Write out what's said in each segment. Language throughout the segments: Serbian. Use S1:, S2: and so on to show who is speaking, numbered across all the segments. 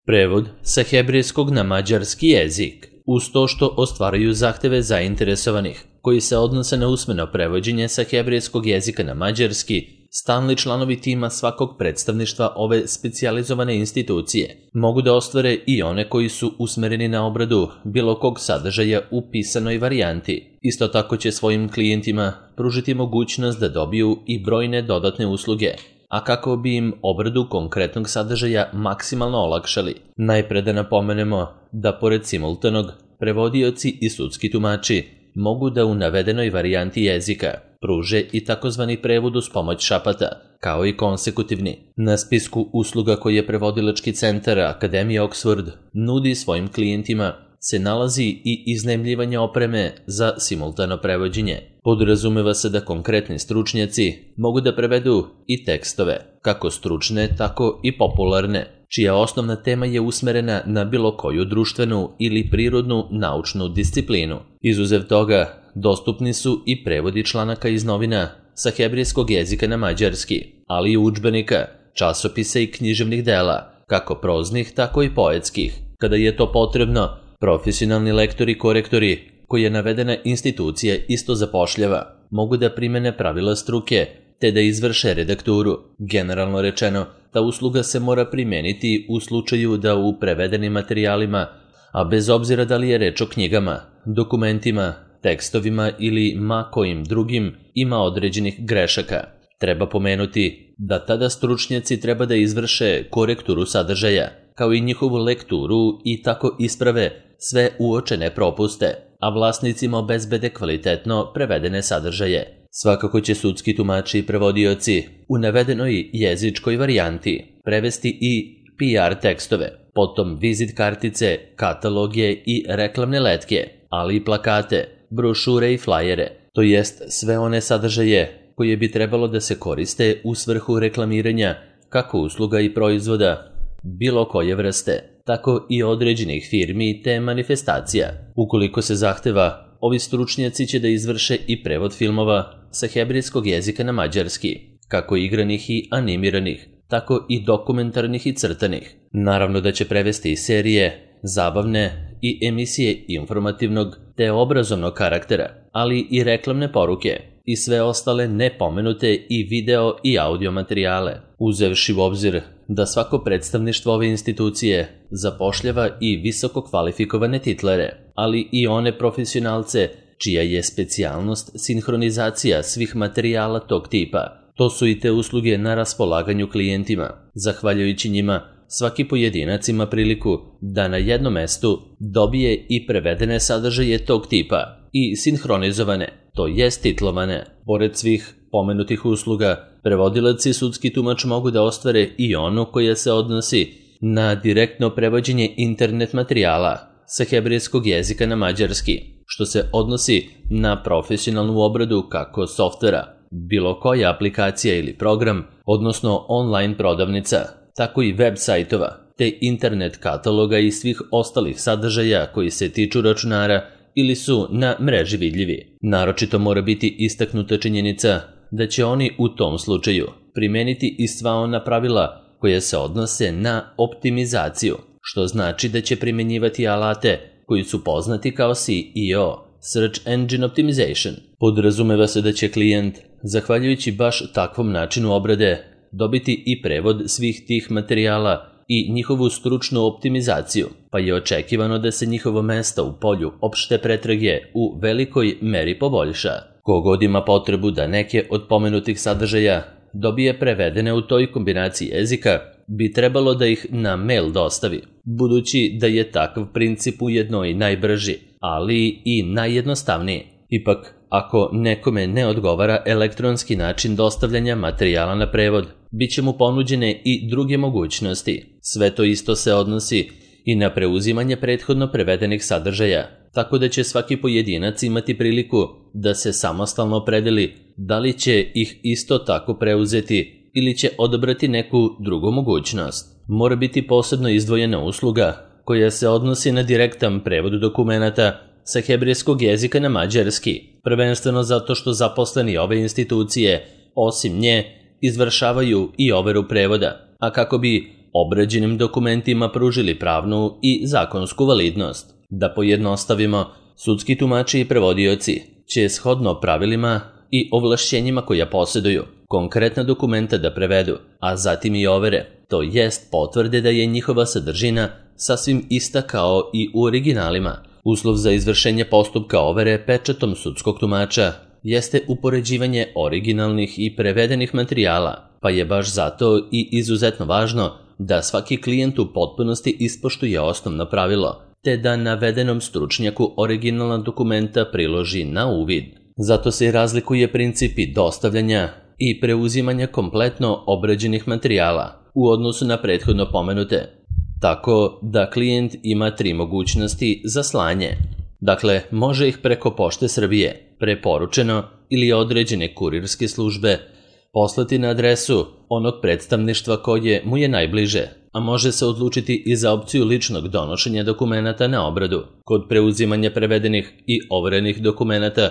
S1: Prevod sa hebrejskog na mađarski jezik, uz to što ostvaraju zahteve zainteresovanih, koji se odnose na usmeno prevođenje sa hebrejskog jezika na mađarski, stalni članovi tima svakog predstavništva ove specijalizovane institucije mogu da ostvare i one koji su usmereni na obradu bilo kog sadržaja u pisanoj varijanti. Isto tako će svojim klijentima pružiti mogućnost da dobiju i brojne dodatne usluge, a kako bi im obradu konkretnog sadržaja maksimalno olakšali. Najpre da napomenemo da pored simultanog, prevodioci i sudski tumači mogu da u navedenoj varijanti jezika pruže i takozvani prevod uz pomoć šapata, kao i konsekutivni. Na spisku usluga koje prevodilački centar Akademije Oxford nudi svojim klijentima se nalazi i iznajmljivanje opreme za simultano prevođenje. Podrazumeva se da konkretni stručnjaci mogu da prevedu i tekstove, kako stručne, tako i popularne, čija osnovna tema je usmerena na bilo koju društvenu ili prirodnu naučnu disciplinu. Izuzev toga, dostupni su i prevodi članaka iz novina sa hebrejskog jezika na mađarski, ali i udžbenika, časopisa i književnih dela, kako proznih, tako i poetskih. Kada je to potrebno, profesionalni lektori i korektori, koje navedena institucija isto zapošljava, mogu da primene pravila struke, te da izvrše redakturu. Generalno rečeno, ta usluga se mora primeniti u slučaju da u prevedenim materijalima, a bez obzira da li je reč o knjigama, dokumentima, tekstovima ili ma kojim drugim, ima određenih grešaka. Treba pomenuti da tada stručnjaci treba da izvrše korekturu sadržaja, kao i njihovu lekturu i tako isprave sve uočene propuste, a vlasnicima obezbede kvalitetno prevedene sadržaje. Svakako će sudski tumači i prevodioci u navedenoj jezičkoj varijanti prevesti i PR tekstove, potom vizit kartice, kataloge i reklamne letke, ali i plakate, brošure i flajere, to jest sve one sadržaje koje bi trebalo da se koriste u svrhu reklamiranja kako usluga i proizvoda bilo koje vrste, tako i određenih firmi te manifestacija. Ukoliko se zahteva, ovi stručnjaci će da izvrše i prevod filmova sa hebrejskog jezika na mađarski, kako igranih i animiranih, tako i dokumentarnih i crtanih. Naravno da će prevesti i serije, zabavne i emisije informativnog te obrazovnog karaktera, ali i reklamne poruke i sve ostale nepomenute i video i audio materijale, uzevši u obzir da svako predstavništvo ove institucije zapošljava i visoko kvalifikovane titlere, ali i one profesionalce čija je specijalnost sinhronizacija svih materijala tog tipa. To su i te usluge na raspolaganju klijentima. Zahvaljujući njima, svaki pojedinac ima priliku da na jednom mestu dobije i prevedene sadržaje tog tipa i sinhronizovane, to jest titlovane. Pored svih pomenutih usluga, prevodilac i sudski tumač mogu da ostvare i onu koja se odnosi na direktno prevođenje internet materijala sa hebrejskog jezika na mađarski, što se odnosi na profesionalnu obradu kako softvera, bilo koja aplikacija ili program, odnosno online prodavnica, tako i web sajtova, te internet kataloga i svih ostalih sadržaja koji se tiču računara ili su na mreži vidljivi. Naročito mora biti istaknuta činjenica da će oni u tom slučaju primeniti i sva ona pravila koje se odnose na optimizaciju, što znači da će primenjivati alate koji su poznati kao SEO, Search Engine Optimization. Podrazumeva se da će klijent, zahvaljujući baš takvom načinu obrade, dobiti i prevod svih tih materijala i njihovu stručnu optimizaciju, pa je očekivano da se njihovo mesto u polju opšte pretrage u velikoj meri poboljša. Kogod ima potrebu da neke od pomenutih sadržaja dobije prevedene u toj kombinaciji jezika, bi trebalo da ih na mail dostavi, budući da je takav princip ujedno i najbrži, ali i najjednostavniji. Ipak, ako nekome ne odgovara elektronski način dostavljanja materijala na prevod, bit će mu ponuđene i druge mogućnosti. Sve to isto se odnosi i na preuzimanje prethodno prevedenih sadržaja, tako da će svaki pojedinac imati priliku da se samostalno opredeli da li će ih isto tako preuzeti ili će odabrati neku drugu mogućnost. Mora biti posebno izdvojena usluga koja se odnosi na direktan prevod dokumenata sa hebrejskog jezika na mađarski, prvenstveno zato što zaposleni ove institucije, osim nje, izvršavaju i overu prevoda, a kako bi obrađenim dokumentima pružili pravnu i zakonsku validnost. Da pojednostavimo, sudski tumači i prevodioci će shodno pravilima i ovlašćenjima koja posjeduju konkretna dokumenta da prevedu, a zatim i overe, to jest potvrde da je njihova sadržina sasvim ista kao i u originalima. Uslov za izvršenje postupka overe pečatom sudskog tumača jeste upoređivanje originalnih i prevedenih materijala, pa je baš zato i izuzetno važno da svaki klijent u potpunosti ispoštuje osnovno pravilo, te da navedenom stručnjaku originalna dokumenta priloži na uvid. Zato se razlikuje principi dostavljanja i preuzimanja kompletno obrađenih materijala u odnosu na prethodno pomenute, tako da klijent ima 3 mogućnosti za slanje. Dakle, može ih preko Pošte Srbije, preporučeno ili određene kurirske službe, poslati na adresu onog predstavništva koje mu je najbliže, a može se odlučiti i za opciju ličnog donošenja dokumenata na obradu. Kod preuzimanja prevedenih i overenih dokumenata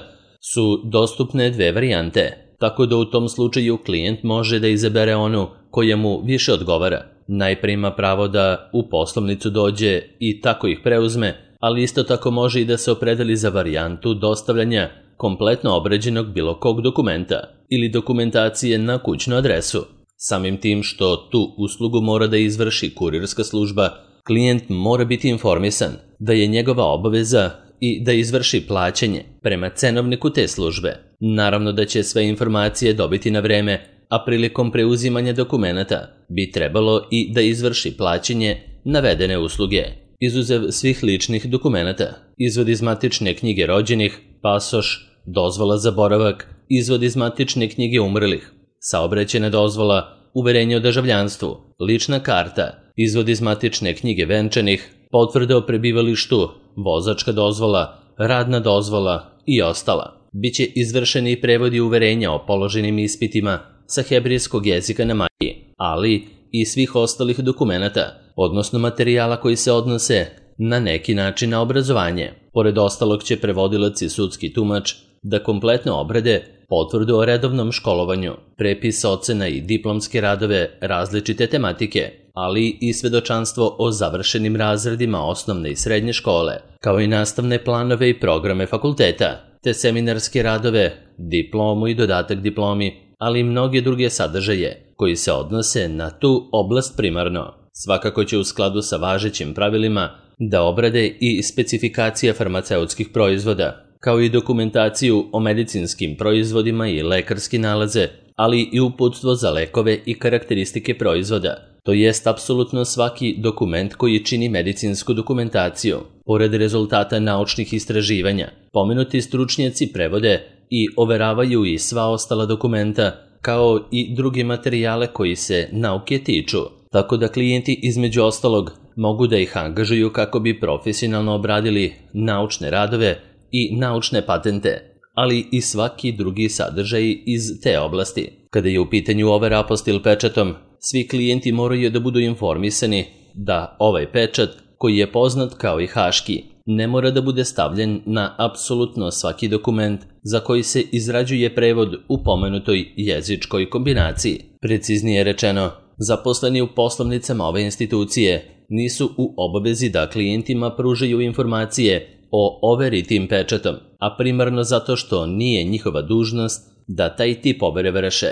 S1: su dostupne 2 varijante, tako da u tom slučaju klijent može da izabere onu koja mu više odgovara. Najprije ima pravo da u poslovnicu dođe i tako ih preuzme, ali isto tako može i da se opredeli za varijantu dostavljanja kompletno obrađenog bilo kog dokumenta ili dokumentacije na kućnu adresu. Samim tim što tu uslugu mora da izvrši kurirska služba, klijent mora biti informisan da je njegova obaveza i da izvrši plaćanje prema cenovniku te službe. Naravno da će sve informacije dobiti na vreme, a prilikom preuzimanja dokumenata bi trebalo i da izvrši plaćanje navedene usluge. Izuzev svih ličnih dokumenata, izvod iz matične knjige rođenih, pasoš, dozvola za boravak, izvod iz matične knjige umrlih, saobraćajna dozvola, uverenje o državljanstvu, lična karta, izvod iz matične knjige venčanih, potvrda o prebivalištu, vozačka dozvola, radna dozvola i ostala. Biće izvršeni i prevodi uverenja o položenim ispitima sa hebrejskog jezika na majki, ali i svih ostalih dokumenata, odnosno materijala koji se odnose na neki način na obrazovanje. Pored ostalog će prevodilac i sudski tumač da kompletno obrade potvrdu o redovnom školovanju, prepis ocena i diplomske radove različite tematike, ali i svedočanstvo o završenim razredima osnovne i srednje škole, kao i nastavne planove i programe fakulteta, te seminarske radove, diplomu i dodatak diplomi, ali i mnoge druge sadržaje koji se odnose na tu oblast primarno. Svakako će u skladu sa važećim pravilima da obrade i specifikacija farmaceutskih proizvoda, kao i dokumentaciju o medicinskim proizvodima i lekarski nalaze, ali i uputstvo za lekove i karakteristike proizvoda, to jest apsolutno svaki dokument koji čini medicinsku dokumentaciju. Pored rezultata naučnih istraživanja, pomenuti stručnjaci prevode i overavaju i sva ostala dokumenta, kao i druge materijale koji se nauke tiču, tako da klijenti između ostalog mogu da ih angažuju kako bi profesionalno obradili naučne radove i naučne patente, ali i svaki drugi sadržaj iz te oblasti. Kada je u pitanju overa apostil pečatom, svi klijenti moraju da budu informisani da ovaj pečat, koji je poznat kao i haški, ne mora da bude stavljen na apsolutno svaki dokument za koji se izrađuje prevod u pomenutoj jezičkoj kombinaciji. Preciznije rečeno, zaposleni u poslovnicama ove institucije nisu u obavezi da klijentima pružaju informacije o overi tim pečatom, a primarno zato što nije njihova dužnost da taj tip overe vrše.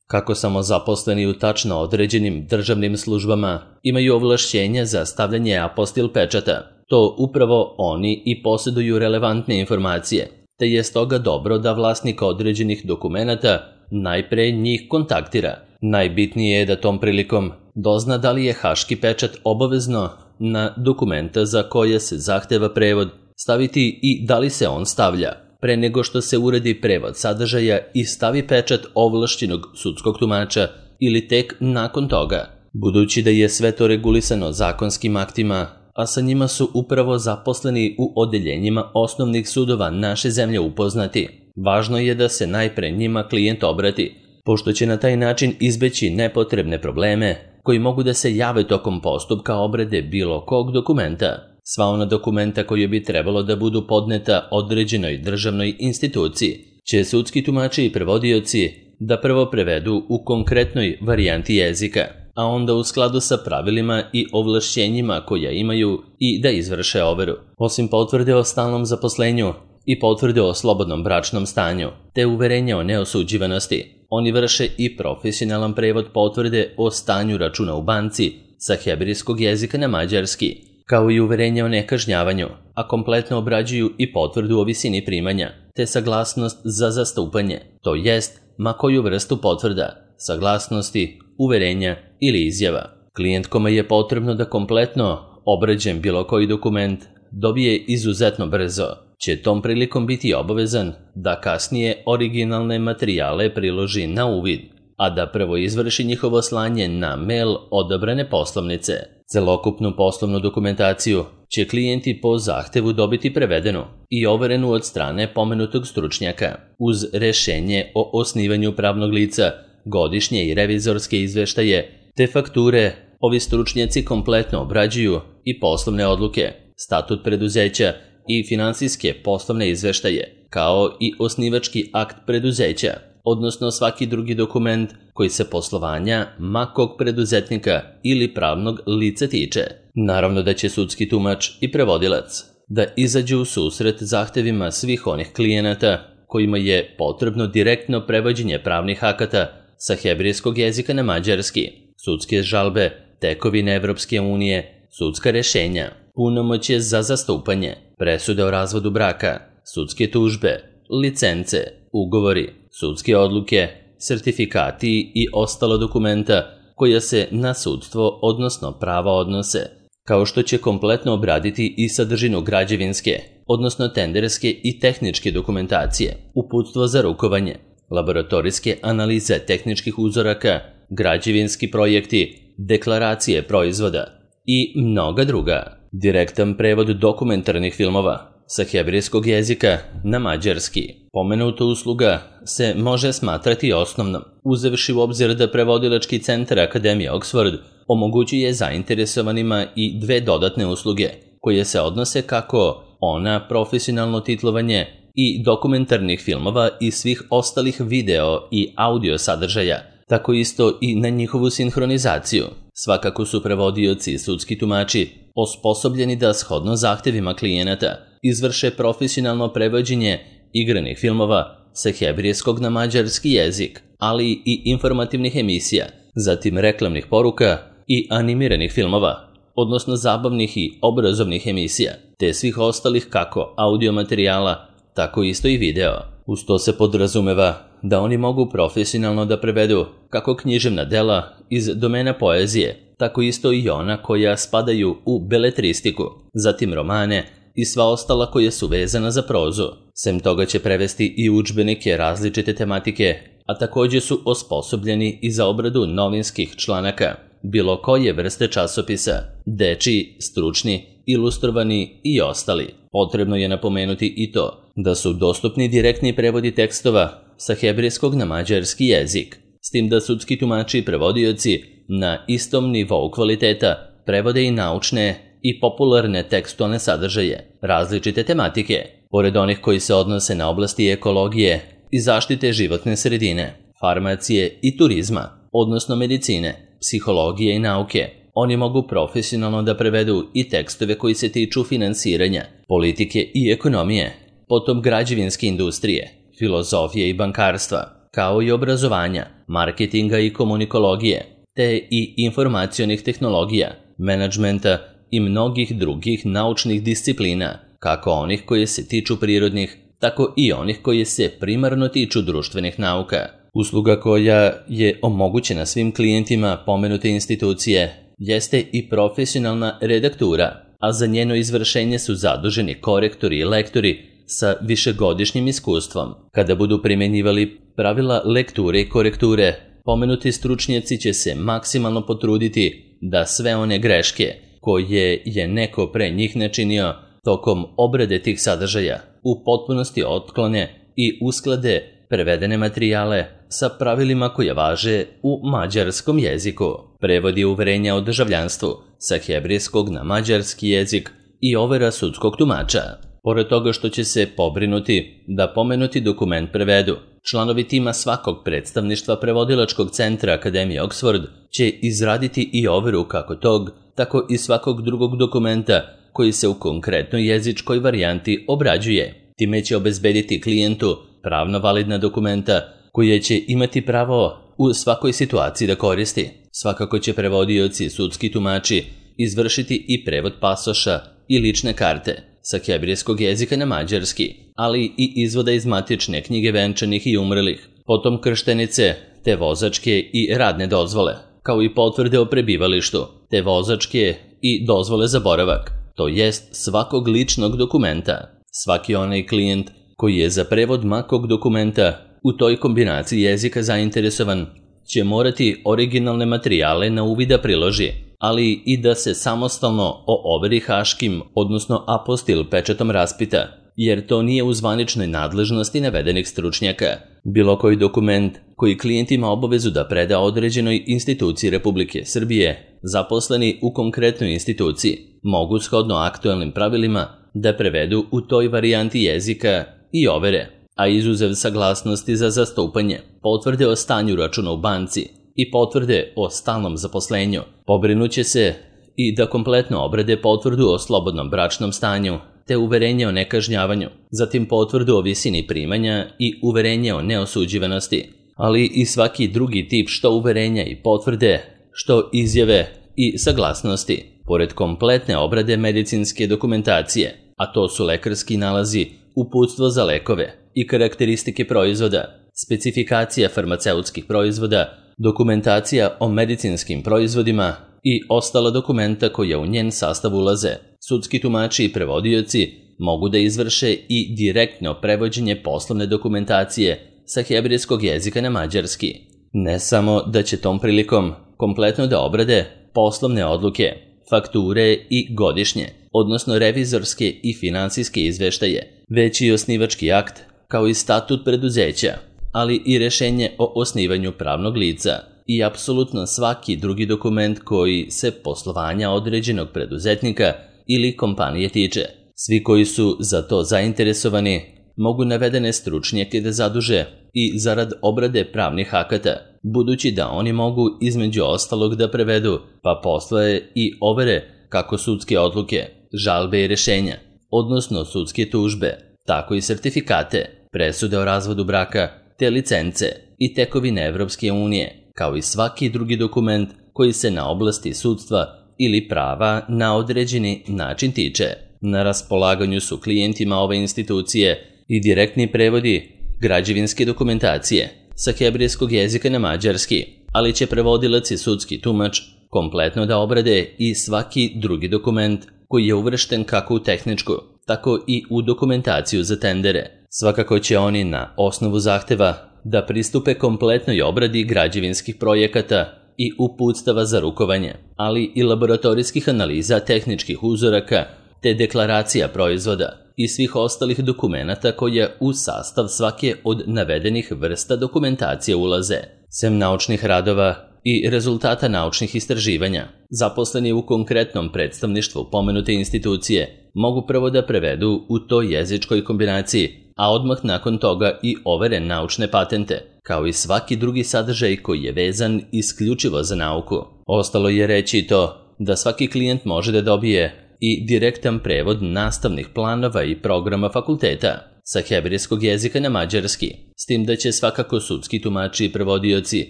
S1: Kako samo zaposleni u tačno određenim državnim službama imaju ovlašćenja za stavljanje apostil pečata, to upravo oni i posjeduju relevantne informacije, te je stoga dobro da vlasnik određenih dokumenata najpre njih kontaktira. Najbitnije je da tom prilikom dozna da li je haški pečat obavezno na dokumenta za koje se zahteva prevod staviti i da li se on stavlja, pre nego što se uredi prevod sadržaja i stavi pečat ovlašćenog sudskog tumača ili tek nakon toga. Budući da je sve to regulisano zakonskim aktima, a sa njima su upravo zaposleni u odeljenjima osnovnih sudova naše zemlje upoznati, važno je da se najpre njima klijent obrati, pošto će na taj način izbeći nepotrebne probleme koji mogu da se jave tokom postupka obrade bilo kog dokumenta. Sva ona dokumenta koja bi trebalo da budu podneta određenoj državnoj instituciji će sudski tumači i prevodioci da prvo prevedu u konkretnoj varijanti jezika. a onda u skladu sa pravilima i ovlašćenjima koja imaju i da izvrše overu. Osim potvrde o stalnom zaposlenju i potvrde o slobodnom bračnom stanju, te uverenja o neosuđivanosti, oni vrše i profesionalan prevod potvrde o stanju računa u banci sa hebrejskog jezika na mađarski, kao i uverenje o nekažnjavanju, a kompletno obrađuju i potvrdu o visini primanja, te saglasnost za zastupanje, to jest ma koju vrstu potvrda, saglasnosti, uverenja ili izjava. Klijent kome je potrebno da kompletno obrađen bilo koji dokument dobije izuzetno brzo, će tom prilikom biti obavezan da kasnije originalne materijale priloži na uvid, a da prvo izvrši njihovo slanje na mail odabrane poslovnice. Celokupnu poslovnu dokumentaciju će klijenti po zahtevu dobiti prevedenu i overenu od strane pomenutog stručnjaka, uz rešenje o osnivanju pravnog lica, godišnje i revizorske izveštaje, te fakture. Ovi stručnjaci kompletno obrađuju i poslovne odluke, statut preduzeća i finansijske poslovne izveštaje, kao i osnivački akt preduzeća, odnosno svaki drugi dokument koji se poslovanja makog preduzetnika ili pravnog lica tiče. Naravno da će sudski tumač i prevodilac da izađu u susret zahtevima svih onih klijenata kojima je potrebno direktno prevođenje pravnih akata sa hebrejskog jezika na mađarski, sudske žalbe, tekovine Evropske unije, sudska rešenja, punomoćje za zastupanje, presude o razvodu braka, sudske tužbe, licence, ugovori, sudske odluke, sertifikati i ostalo dokumenta koja se na sudstvo, odnosno prava odnose, kao što će kompletno obraditi i sadržinu građevinske, odnosno tenderske i tehničke dokumentacije, uputstvo za rukovanje, laboratorijske analize tehničkih uzoraka, građevinski projekti, deklaracije proizvoda i mnoga druga. Direktan prevod dokumentarnih filmova sa hebrejskog jezika na mađarski. Pomenuta usluga se može smatrati osnovnom, uzevši u obzir da prevodilački centar Akademije Oxford omogućuje zainteresovanima i dve dodatne usluge, koje se odnose kako na profesionalno titlovanje i dokumentarnih filmova i svih ostalih video i audio sadržaja, tako isto i na njihovu sinhronizaciju. Svakako su prevodioci i sudski tumači osposobljeni da shodno zahtevima klijenata izvrše profesionalno prevođenje igranih filmova sa hebrejskog na mađarski jezik, ali i informativnih emisija, zatim reklamnih poruka i animiranih filmova, odnosno zabavnih i obrazovnih emisija, te svih ostalih kako audio materijala, tako isto i video. Uz to se podrazumeva da oni mogu profesionalno da prevedu kako književna dela iz domena poezije, tako isto i ona koja spadaju u beletristiku, zatim romane i sva ostala koja su vezana za prozu. Sem toga će prevesti i udžbenike različite tematike, a također su osposobljeni i za obradu novinskih članaka, bilo koje vrste časopisa, dečiji, stručni, ilustrovani i ostali. Potrebno je napomenuti i to da su dostupni direktni prevodi tekstova sa hebrejskog na mađarski jezik, s tim da sudski tumači i prevodioci na istom nivou kvaliteta prevode i naučne i popularne tekstualne sadržaje, različite tematike, pored onih koji se odnose na oblasti ekologije i zaštite životne sredine, farmacije i turizma, odnosno medicine, psihologije i nauke. Oni mogu profesionalno da prevedu i tekstove koji se tiču finansiranja, politike i ekonomije, potom građevinske industrije, filozofije i bankarstva, kao i obrazovanja, marketinga i komunikologije, te i informacionih tehnologija, menadžmenta i mnogih drugih naučnih disciplina, kako onih koje se tiču prirodnih, tako i onih koje se primarno tiču društvenih nauka. Usluga koja je omogućena svim klijentima pomenute institucije jeste i profesionalna redaktura, a za njeno izvršenje su zaduženi korektori i lektori sa višegodišnjim iskustvom. Kada budu primjenjivali pravila lekture i korekture, pomenuti stručnjaci će se maksimalno potruditi da sve one greške koje je neko pre njih načinio tokom obrade tih sadržaja u potpunosti otklone i usklade prevedene materijale sa pravilima koje važe u mađarskom jeziku. Prevodi uverenja o državljanstvu sa hebrejskog na mađarski jezik i overa sudskog tumača. Pored toga što će se pobrinuti da pomenuti dokument prevedu, Članovi tima svakog predstavništva prevodilačkog centra Akademije Oxford će izraditi i overu kako tog, tako i svakog drugog dokumenta koji se u konkretnoj jezičkoj varijanti obrađuje. Time će obezbediti klijentu pravno validna dokumenta koje će imati pravo u svakoj situaciji da koristi. Svakako će prevodioci i sudski tumači izvršiti i prevod pasoša i lične karte sa hebrejskog jezika na mađarski, ali i izvoda iz matične knjige venčanih i umrlih, potom krštenice, te vozačke i radne dozvole, kao i potvrde o prebivalištu, te vozačke i dozvole za boravak, to jest svakog ličnog dokumenta. Svaki onaj klijent koji je za prevod makog dokumenta u toj kombinaciji jezika zainteresovan će morati originalne materijale na uvid da priloži, ali i da se samostalno o overi haškim, odnosno apostil pečatom raspita, jer to nije u zvaničnoj nadležnosti navedenih stručnjaka. Bilo koji dokument koji klijent ima obavezu da preda određenoj instituciji Republike Srbije, zaposleni u konkretnoj instituciji, mogu shodno aktuelnim pravilima da prevedu u toj varijanti jezika i overe, a izuzev saglasnosti za zastupanje, potvrde o stanju računa u banci i potvrde o stalnom zaposlenju, pobrinuće se i da kompletno obrade potvrdu o slobodnom bračnom stanju, te uverenje o nekažnjavanju, zatim potvrdu o visini primanja i uverenje o neosuđivanosti, ali i svaki drugi tip što uverenja i potvrde, što izjave i saglasnosti, pored kompletne obrade medicinske dokumentacije, a to su lekarski nalazi, uputstvo za lekove i karakteristike proizvoda, specifikacija farmaceutskih proizvoda, dokumentacija o medicinskim proizvodima i ostala dokumenta koja u njen sastav ulaze. Sudski tumači i prevodioci mogu da izvrše i direktno prevođenje poslovne dokumentacije sa hebrejskog jezika na mađarski. Ne samo da će tom prilikom kompletno da obrade poslovne odluke, fakture i godišnje, odnosno revizorske i finansijske izveštaje, već i osnivački akt, kao i statut preduzeća, ali i rešenje o osnivanju pravnog lica i apsolutno svaki drugi dokument koji se poslovanja određenog preduzetnika ili kompanije tiče. Svi koji su za to zainteresovani mogu navedene stručnjake da zaduže i zarad obrade pravnih akata, budući da oni mogu između ostalog da prevedu, pa postoje i overe kako sudske odluke, žalbe i rešenja, odnosno sudske tužbe, tako i sertifikate, presude o razvodu braka, te licence i tekovine Evropske unije, kao i svaki drugi dokument koji se na oblasti sudstva ili prava na određeni način tiče. Na raspolaganju su klijentima ove institucije i direktni prevodi građevinske dokumentacije sa hebrejskog jezika na mađarski, ali će prevodilac i sudski tumač kompletno da obrade i svaki drugi dokument koji je uvršten kako u tehničku, tako i u dokumentaciju za tendere. Svakako će oni na osnovu zahteva da pristupe kompletnoj obradi građevinskih projekata i uputstava za rukovanje, ali i laboratorijskih analiza tehničkih uzoraka, te deklaracija proizvoda i svih ostalih dokumenata koje u sastav svake od navedenih vrsta dokumentacije ulaze, sem naučnih radova i rezultata naučnih istraživanja. Zaposleni u konkretnom predstavništvu pomenute institucije mogu prvo da prevedu u toj jezičkoj kombinaciji, a odmah nakon toga i overe naučne patente, kao i svaki drugi sadržaj koji je vezan isključivo za nauku. Ostalo je reći i to da svaki klijent može da dobije i direktan prevod nastavnih planova i programa fakulteta sa hebrejskog jezika na mađarski, s tim da će svakako sudski tumači i prevodioci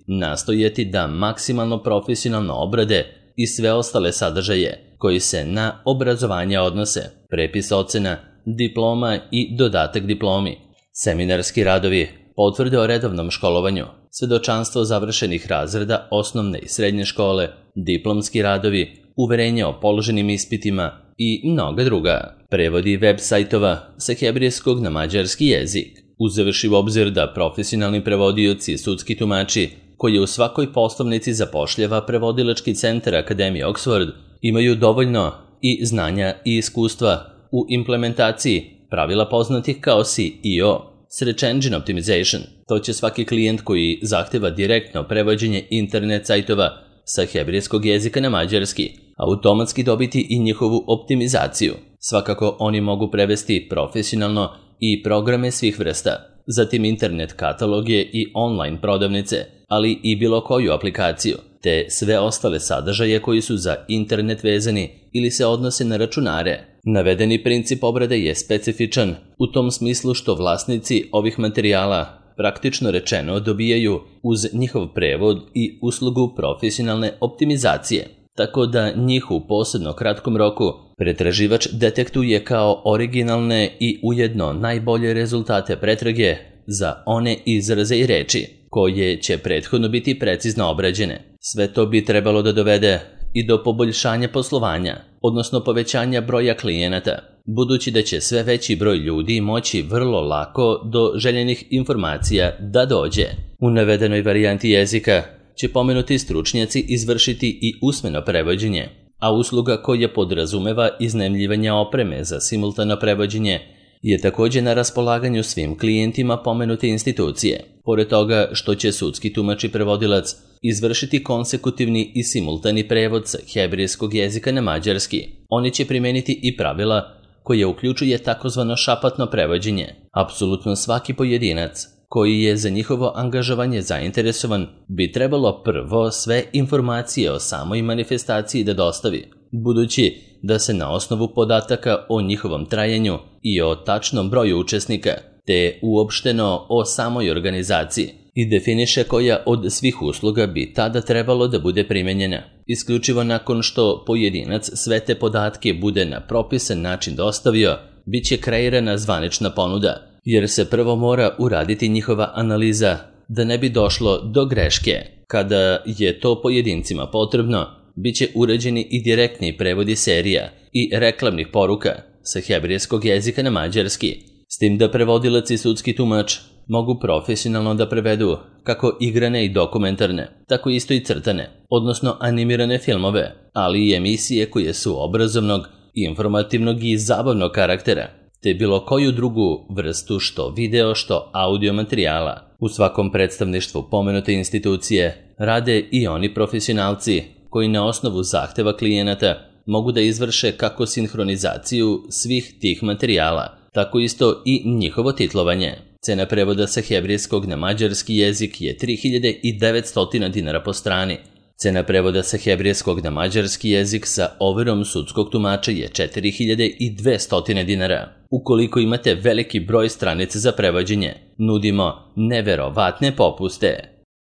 S1: nastojati da maksimalno profesionalno obrade i sve ostale sadržaje koji se na obrazovanje odnose, prepis ocena, diploma i dodatak diplomi, seminarski radovi, potvrde o redovnom školovanju, svedočanstvo završenih razreda osnovne i srednje škole, diplomski radovi, uverenje o položenim ispitima i mnoga druga. Prevodi web sajtova sa hebrejskog na mađarski jezik. Uzevši u obzir da profesionalni prevodioci i sudski tumači koji u svakoj poslovnici zapošljava prevodilački centar Akademije Oxford imaju dovoljno i znanja i iskustva u implementaciji pravila poznatih kao SEO, Search Engine Optimization. To će svaki klijent koji zahteva direktno prevođenje internet sajtova sa hebrejskog jezika na mađarski automatski dobiti i njihovu optimizaciju. Svakako oni mogu prevesti profesionalno i programe svih vrsta, zatim internet kataloge i online prodavnice, ali i bilo koju aplikaciju, te sve ostale sadržaje koji su za internet vezani ili se odnose na računare. Navedeni princip obrade je specifičan u tom smislu što vlasnici ovih materijala praktično rečeno dobijaju uz njihov prevod i uslugu profesionalne optimizacije, tako da njih u posebno kratkom roku pretraživač detektuje kao originalne i ujedno najbolje rezultate pretrage za one izraze i reči koje će prethodno biti precizno obrađene. Sve to bi trebalo da dovede i do poboljšanja poslovanja, odnosno povećanja broja klijenata, budući da će sve veći broj ljudi moći vrlo lako do željenih informacija da dođe. U navedenoj varijanti jezika će pomenuti stručnjaci izvršiti i usmeno prevođenje, a usluga koja podrazumeva iznajmljivanje opreme za simultano prevođenje je također na raspolaganju svim klijentima pomenute institucije. Pored toga što će sudski tumač i prevodilac izvršiti konsekutivni i simultani prevod sa hebrejskog jezika na mađarski, oni će primeniti i pravila koje uključuje takozvano šapatno prevođenje. Apsolutno svaki pojedinac koji je za njihovo angažovanje zainteresovan bi trebalo prvo sve informacije o samoj manifestaciji da dostavi, budući da se na osnovu podataka o njihovom trajanju i o tačnom broju učesnika, te uopšteno o samoj organizaciji, i definiše koja od svih usluga bi tada trebalo da bude primenjena. Isključivo nakon što pojedinac sve te podatke bude na propisan način dostavio, bit će kreirana zvanična ponuda, jer se prvo mora uraditi njihova analiza da ne bi došlo do greške. Kada je to pojedincima potrebno, bit će urađeni i direktni prevodi serija i reklamnih poruka sa hebrejskog jezika na mađarski, s tim da prevodilac i sudski tumač mogu profesionalno da prevedu kako igrane i dokumentarne, tako isto i crtane, odnosno animirane filmove, ali i emisije koje su obrazovnog, informativnog i zabavnog karaktera, te bilo koju drugu vrstu što video što audio materijala. U svakom predstavništvu pomenute institucije rade i oni profesionalci koji na osnovu zahteva klijenata mogu da izvrše kako sinhronizaciju svih tih materijala, tako isto i njihovo titlovanje. Cena prevoda sa hebrejskog na mađarski jezik je 3900 dinara po strani. Cena prevoda sa hebrejskog na mađarski jezik sa overom sudskog tumača je 4200 dinara. Ukoliko imate veliki broj stranica za prevođenje, nudimo neverovatne popuste.